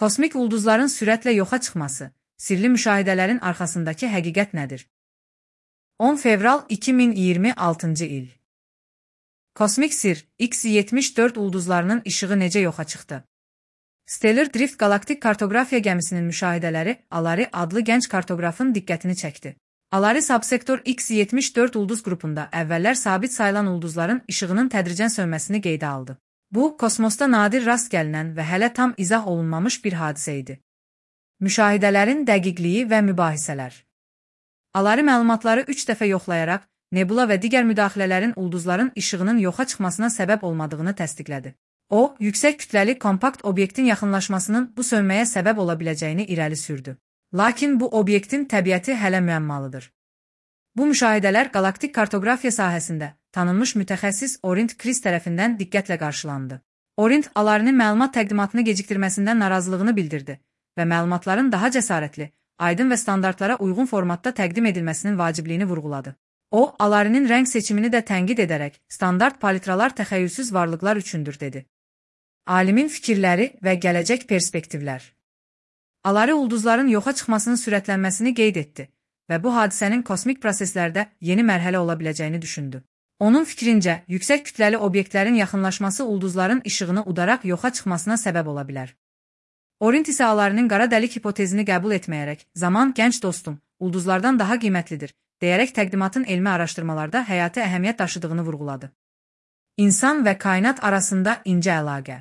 Kosmik ulduzların sürətlə yoxa çıxması, sirli müşahidələrin arxasındakı həqiqət nədir? 10 fevral 2026-cı il. Kosmik sir, X-74 ulduzlarının işığı necə yoxa çıxdı? Stellar Drift Galaktik Kartografiya gəmisinin müşahidələri Alari adlı gənc kartoqrafın diqqətini çəkdi. Alari subsektor X-74 ulduz qrupunda əvvəllər sabit sayılan ulduzların işığının tədricən sönməsini qeydə aldı. Bu, kosmosda nadir rast gəlinən və hələ tam izah olunmamış bir hadisə idi. Müşahidələrin dəqiqliyi və mübahisələr. Alari məlumatları 3 dəfə yoxlayaraq, nebula və digər müdaxilələrin ulduzların işığının yoxa çıxmasına səbəb olmadığını təsdiqlədi. O, yüksək kütləli kompakt obyektin yaxınlaşmasının bu sönməyə səbəb ola biləcəyini irəli sürdü. Lakin bu obyektin təbiəti hələ müəmmalıdır. Bu müşahidələr qalaktik kartografiya sahəsində tanınmış mütəxəssis Orient Chris tərəfindən diqqətlə qarşılandı. Orient Alarinin məlumat təqdimatını gecikdirməsindən narazılığını bildirdi və məlumatların daha cəsarətli, aydın və standartlara uyğun formatda təqdim edilməsinin vacibliyini vurğuladı. O, Alarinin rəng seçimini də tənqid edərək, standart palitralar təxəyyülsüz varlıqlar üçündür, dedi. Alimin fikirləri və gələcək perspektivlər. Alari ulduzların yoxa çıxmasının sürətlənməsini qeyd etdi və bu hadisənin kosmik proseslərdə yeni mərhələ ola biləcəyini düşündü. Onun fikrincə, yüksək kütləli obyektlərin yaxınlaşması ulduzların işığını udaraq yoxa çıxmasına səbəb ola bilər. Orient isə Alarinin qara dəlik hipotezini qəbul etməyərək, zaman gənc dostum, ulduzlardan daha qiymətlidir, deyərək təqdimatın elmi araşdırmalarda həyati əhəmiyyət daşıdığını vurğuladı. İnsan və kainat arasında incə əlaqə.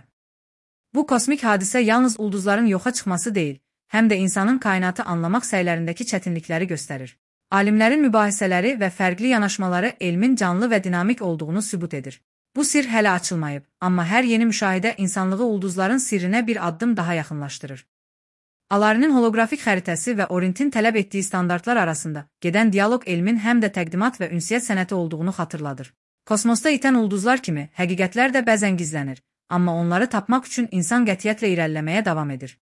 Bu kosmik hadisə yalnız ulduzların yoxa çıxması deyil, həm də insanın kainatı anlamaq səylərindəki çətinlikləri göstərir. Alimlərin mübahisələri və fərqli yanaşmaları elmin canlı və dinamik olduğunu sübut edir. Bu sir hələ açılmayıb, amma hər yeni müşahidə insanlığı ulduzların sirrinə bir addım daha yaxınlaşdırır. Alarinin holoqrafik xəritəsi və Orientin tələb etdiyi standartlar arasında gedən dialoq elmin həm də təqdimat və ünsiyyət sənəti olduğunu xatırladır. Kosmosda itən ulduzlar kimi həqiqətlər də bəzən gizlənir, amma onları tapmaq üçün insan qətiyyətlə irəliləməyə davam edir.